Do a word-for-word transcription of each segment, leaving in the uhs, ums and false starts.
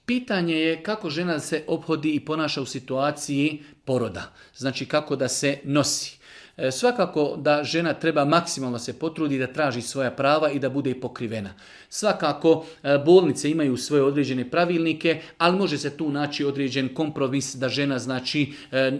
Pitanje je kako žena se ophodi i ponaša u situaciji poroda. Znači kako da se nosi. Svakako da žena treba maksimalno se potrudi da traži svoja prava i da bude pokrivena. Svakako bolnice imaju svoje određene pravilnike, ali može se tu naći određen kompromis da žena, znači,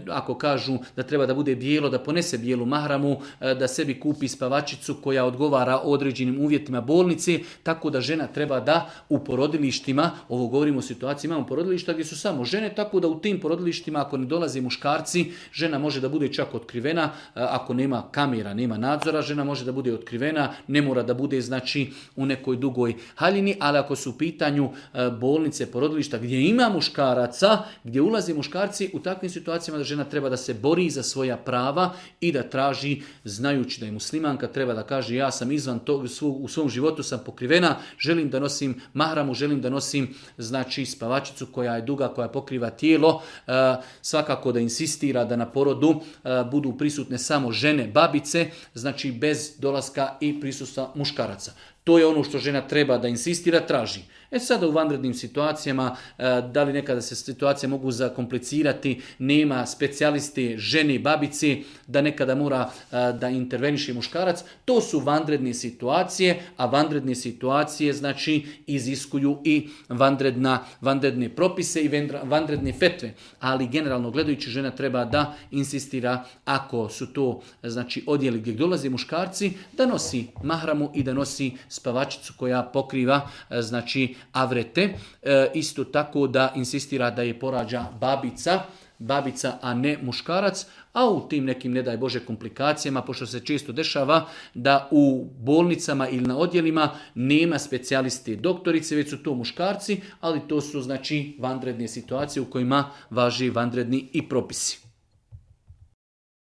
ako kažu da treba da bude bijelo, da ponese bijelu mahramu, da sebi kupi spavačicu koja odgovara određenim uvjetima bolnice, tako da žena treba da u porodilištima, ovo govorimo o situaciji, imamo porodilišta gdje su samo žene, tako da u tim porodilištima ako ne dolaze muškarci, žena može da bude čak otkrivena. Ako nema kamera, nema nadzora, žena može da bude otkrivena, ne mora da bude, znači, u nekoj dugoj haljini, ali ako su u pitanju bolnice, porodilišta gdje ima muškaraca, gdje ulaze muškarci, u takvim situacijama da žena treba da se bori za svoja prava i da traži, znajući da je muslimanka, treba da kaže ja sam izvan tog, u svom životu sam pokrivena, želim da nosim mahramu, želim da nosim, znači, spavačicu koja je duga, koja pokriva tijelo, svakako da insistira da na porodu budu prisutne samo žene, babice, znači bez dolaska i prisustva muškaraca. To je ono što žena treba da insistira, traži. E sada u vanrednim situacijama, da li nekada se situacije mogu zakomplicirati, nema specijaliste, žene, babice, da nekada mora da interveniše muškarac, to su vanredne situacije, a vanredne situacije, znači, iziskuju i vanredna, vanredne propise i vanredne fetve. Ali generalno gledajući, žena treba da insistira, ako su to, znači, odjeli gdje dolaze muškarci, da nosi mahramu i da nosi spavačicu koja pokriva, znači, avrete. E, isto tako da insistira da je porađa babica, babica, a ne muškarac, a u tim nekim, ne daj Bože, komplikacijama, pošto se često dešava da u bolnicama ili na odjelima nema specijaliste doktorice, već su to muškarci, ali to su, znači, vanredne situacije u kojima važi vanredni i propisi.